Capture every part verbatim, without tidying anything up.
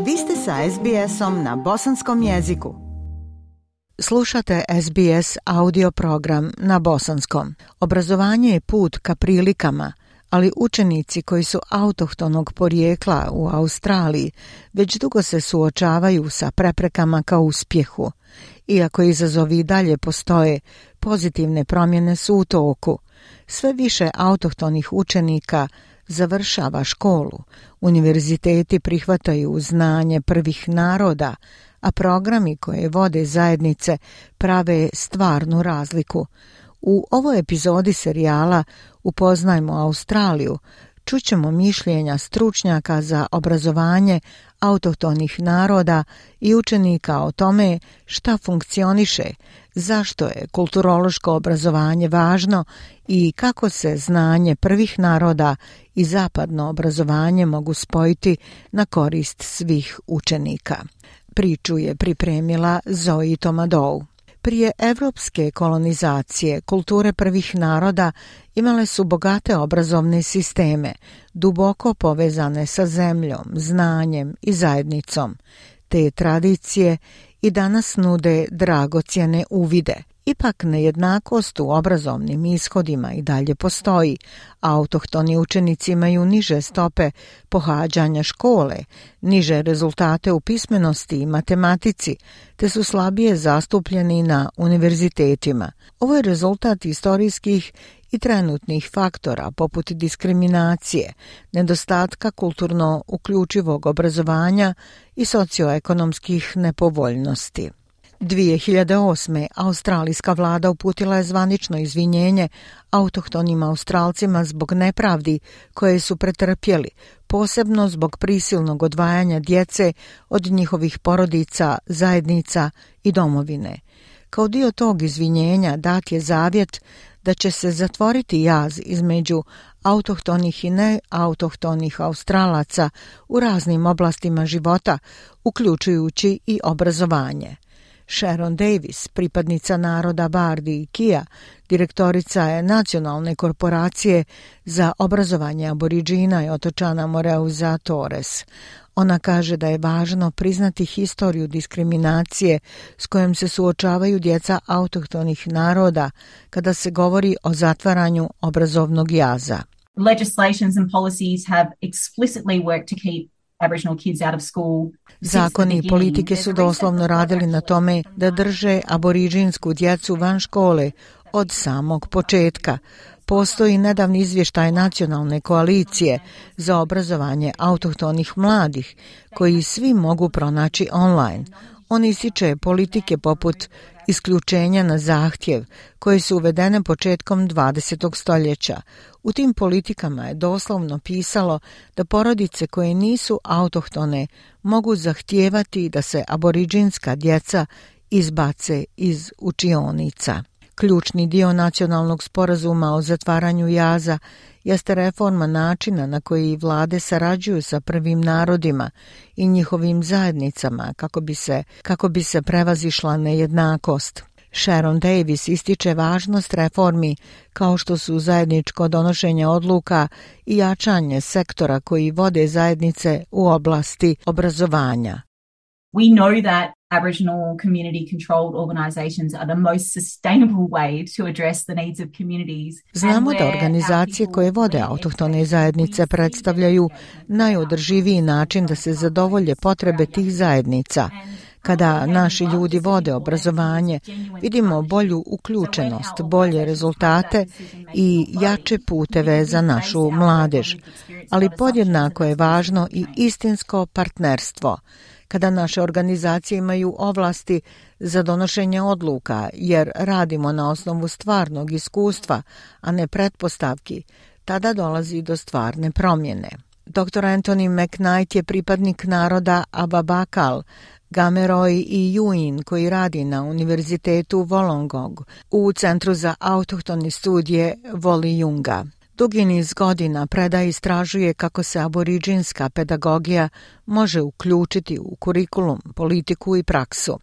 Vi ste sa es bi esom na bosanskom jeziku. Slušate es bi es audio program na bosanskom. Obrazovanje je put ka prilikama, ali učenici koji su autohtonog porijekla u Australiji već dugo se suočavaju sa preprekama ka uspjehu. Iako izazovi i dalje postoje, pozitivne promjene su u toku. Sve više autohtonih učenika završava školu, univerziteti prihvataju znanje prvih naroda, a programi koje vode zajednice prave stvarnu razliku. U ovoj epizodi serijala Upoznajmo Australiju čućemo mišljenja stručnjaka za obrazovanje autohtonih naroda i učenika o tome šta funkcioniše, zašto je kulturološko obrazovanje važno i kako se znanje prvih naroda i zapadno obrazovanje mogu spojiti na korist svih učenika. Priču je pripremila Zoe Tomadou. Prije evropske kolonizacije kulture prvih naroda imale su bogate obrazovne sisteme, duboko povezane sa zemljom, znanjem i zajednicom. Te tradicije i danas nude dragocjene uvide. Ipak nejednakost u obrazovnim ishodima i dalje postoji. Autohtoni učenici imaju niže stope pohađanja škole, niže rezultate u pismenosti i matematici, te su slabije zastupljeni na univerzitetima. Ovo je rezultat istorijskih i trenutnih faktora poput diskriminacije, nedostatka kulturno uključivog obrazovanja i socioekonomskih nepovoljnosti. dvije hiljade osme. australijska vlada uputila je zvanično izvinjenje autohtonim Australcima zbog nepravdi koje su pretrpjeli, posebno zbog prisilnog odvajanja djece od njihovih porodica, zajednica i domovine. Kao dio tog izvinjenja dat je zavjet da će se zatvoriti jaz između autohtonih i neautohtonih Australaca u raznim oblastima života, uključujući i obrazovanje. Sharon Davis, pripadnica naroda Bardi i Kija, direktorica je nacionalne korporacije za obrazovanje aboriđina i otočana Moreuza Torres. Ona kaže da je važno priznati historiju diskriminacije s kojom se suočavaju djeca autohtonih naroda kada se govori o zatvaranju obrazovnog jaza. Legislations and policies have explicitly worked to keep Aboriginal kids out of school. Zakoni i politike su doslovno radili na tome da drže aboriđinsku djecu van škole od samog početka. Postoji nedavni izvještaj Nacionalne koalicije za obrazovanje autohtonih mladih, koji svi mogu pronaći online. On ističe politike poput isključenja na zahtjev, koje su uvedene početkom dvadesetog stoljeća. U tim politikama je doslovno pisalo da porodice koje nisu autohtone mogu zahtijevati da se aboriđinska djeca izbace iz učionica. Ključni dio nacionalnog sporazuma o zatvaranju jaza jeste reforma načina na koji vlade sarađuju sa prvim narodima i njihovim zajednicama kako bi se, kako bi se prevazišla nejednakost. Sharon Davis ističe važnost reformi kao što su zajedničko donošenje odluka i jačanje sektora koji vode zajednice u oblasti obrazovanja. We know that Aboriginal community-controlled organisations are the most sustainable way to address the needs of communities. Znamo da organizacije koje vode autohtone zajednice predstavljaju najodrživiji način da se zadovolje potrebe tih zajednica. Kada naši ljudi vode obrazovanje, vidimo bolju uključenost, bolje rezultate i jače puteve za našu mladež. Ali podjednako je važno i istinsko partnerstvo, kada naše organizacije imaju ovlasti za donošenje odluka, jer radimo na osnovu stvarnog iskustva, a ne pretpostavki, tada dolazi do stvarne promjene. doktor Anthony McKnight je pripadnik naroda Ababakal, Gameroj i Yuin koji radi na Univerzitetu Wollongong u Centru za autohtone studije Wollejunga. Dugi niz godina predaje i istražuje kako se aboriđinska pedagogija može uključiti u kurikulum, politiku i praksu.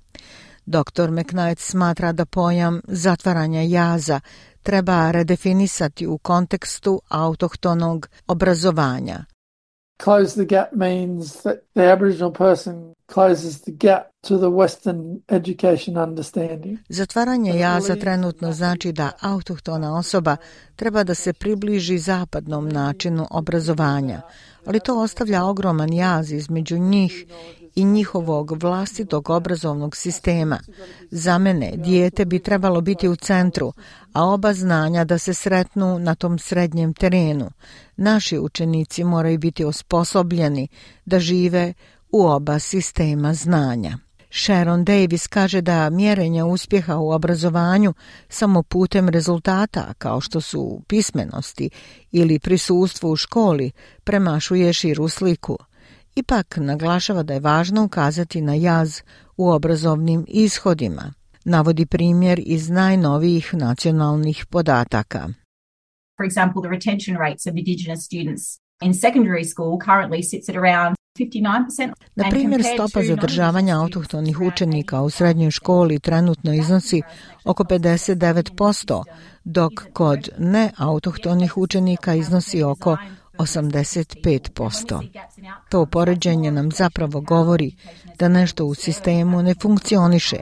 doktor McKnight smatra da pojam zatvaranja jaza treba redefinisati u kontekstu autohtonog obrazovanja. Close the gap means that the Aboriginal person closes the gap to the Western education understanding. Zatvaranje jaza trenutno znači da autohtona osoba treba da se približi zapadnom načinu obrazovanja, ali to ostavlja ogroman jaz između njih i njihovog vlastitog obrazovnog sistema. Za mene, dijete bi trebalo biti u centru, a oba znanja da se sretnu na tom srednjem terenu. Naši učenici moraju biti osposobljeni da žive u oba sistema znanja. Sharon Davis kaže da mjerenje uspjeha u obrazovanju samo putem rezultata, kao što su pismenosti ili prisustvo u školi, premašuje širu sliku. Ipak naglašava da je važno ukazati na jaz u obrazovnim ishodima. Navodi primjer iz najnovijih nacionalnih podataka. For example, the retention rates of Indigenous students in secondary school currently sits at around fifty-nine percent. Na primjer, stopa zadržavanja autohtonih učenika u srednjoj školi trenutno iznosi oko pedeset devet posto, dok kod neautohtonih učenika iznosi oko osamdeset pet posto. To poređenje nam zapravo govori da nešto u sistemu ne funkcioniše.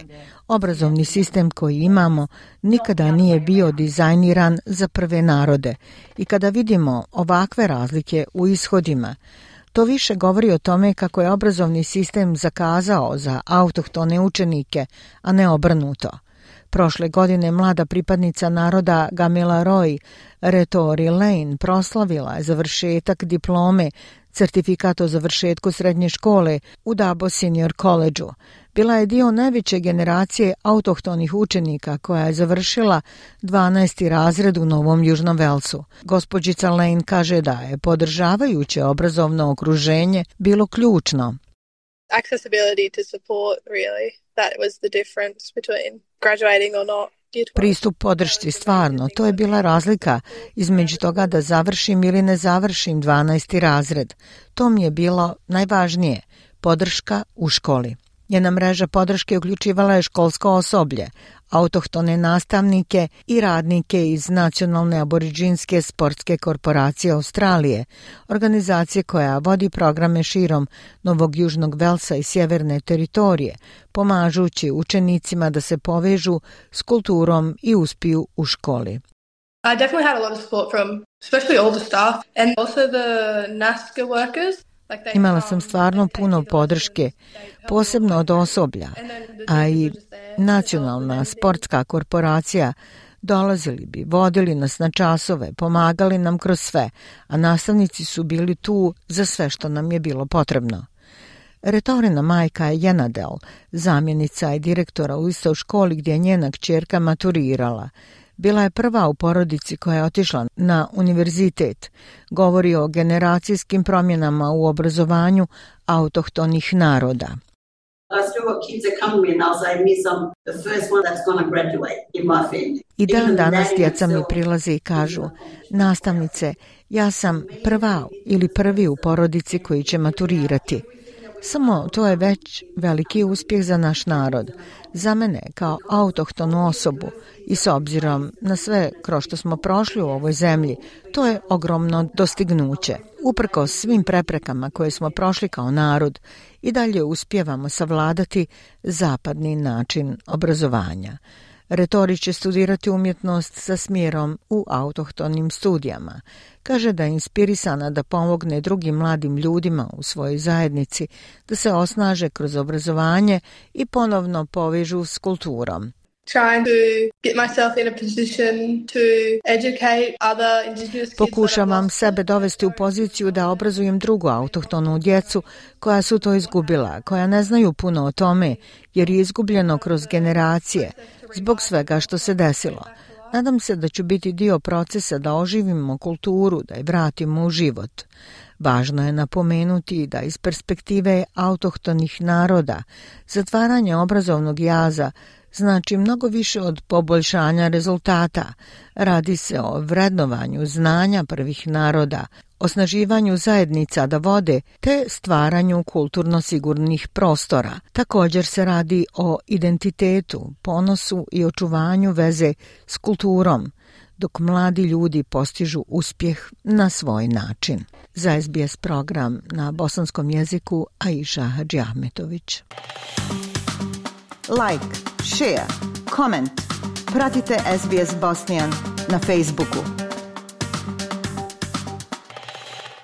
Obrazovni sistem koji imamo nikada nije bio dizajniran za prve narode i kada vidimo ovakve razlike u ishodima, to više govori o tome kako je obrazovni sistem zakazao za autohtone učenike, a ne obrnuto. Prošle godine mlada pripadnica naroda Gamila Roy, Retori Lane, proslavila je završetak diplome, certifikat o završetku srednje škole u Dabo Senior College-u. Bila je dio najveće generacije autohtonih učenika koja je završila dvanaesti razred u Novom Južnom Velsu. Gospođica Lane kaže da je podržavajuće obrazovno okruženje bilo ključno. Accessibility to support, really. That was the difference between graduating or not. Pristup podršci, stvarno, to je bila razlika između toga da završim ili ne završim dvanaesti razred. To mi je bilo najvažnije, podrška u školi. Njena mreža podrške uključivala je školsko osoblje, autohtone nastavnike i radnike iz Nacionalne aboriđinske sportske korporacije Australije, organizacije koja vodi programe širom Novog Južnog Velsa i sjeverne teritorije, pomažući učenicima da se povežu s kulturom i uspiju u školi. I definitely had a lot of support from especially all the staff and also the N A S C A workers. Imala sam stvarno puno podrške, posebno od osoblja, a i Nacionalna sportska korporacija dolazili bi, vodili nas na časove, pomagali nam kroz sve, a nastavnici su bili tu za sve što nam je bilo potrebno. Retorina majka je Jenadel, zamjenica i direktora u istoj školi gdje je njena kćerka maturirala. Bila je prva u porodici koja je otišla na univerzitet. Govori o generacijskim promjenama u obrazovanju autohtonih naroda. I dan danas djeca mi prilaze i kažu, nastavnice, ja sam prva ili prvi u porodici koji će maturirati. Samo to je već veliki uspjeh za naš narod. Za mene kao autohtonu osobu i s obzirom na sve kroz što smo prošli u ovoj zemlji, to je ogromno dostignuće. Uprkos svim preprekama koje smo prošli kao narod, i dalje uspijevamo savladati zapadni način obrazovanja. Retori će studirati umjetnost sa smjerom u autohtonim studijama. Kaže da je inspirisana da pomogne drugim mladim ljudima u svojoj zajednici da se osnaže kroz obrazovanje i ponovno povežu s kulturom. Pokušavam sebe dovesti u poziciju da obrazujem drugu autohtonu djecu koja su to izgubila, koja ne znaju puno o tome jer je izgubljeno kroz generacije zbog svega što se desilo. Nadam se da ću biti dio procesa da oživimo kulturu, da je vratimo u život. Važno je napomenuti da iz perspektive autohtonih naroda zatvaranje obrazovnog jaza znači mnogo više od poboljšanja rezultata. Radi se o vrednovanju znanja prvih naroda, osnaživanju zajednica da vode te stvaranju kulturno sigurnih prostora. Također se radi o identitetu, ponosu i očuvanju veze s kulturom. dok mladi ljudi postižu uspjeh na svoj način. Za S B S program na bosanskom jeziku Aisha Hadžiahmetović. Like, share, comment. Pratite S B S Bosnian na Facebooku.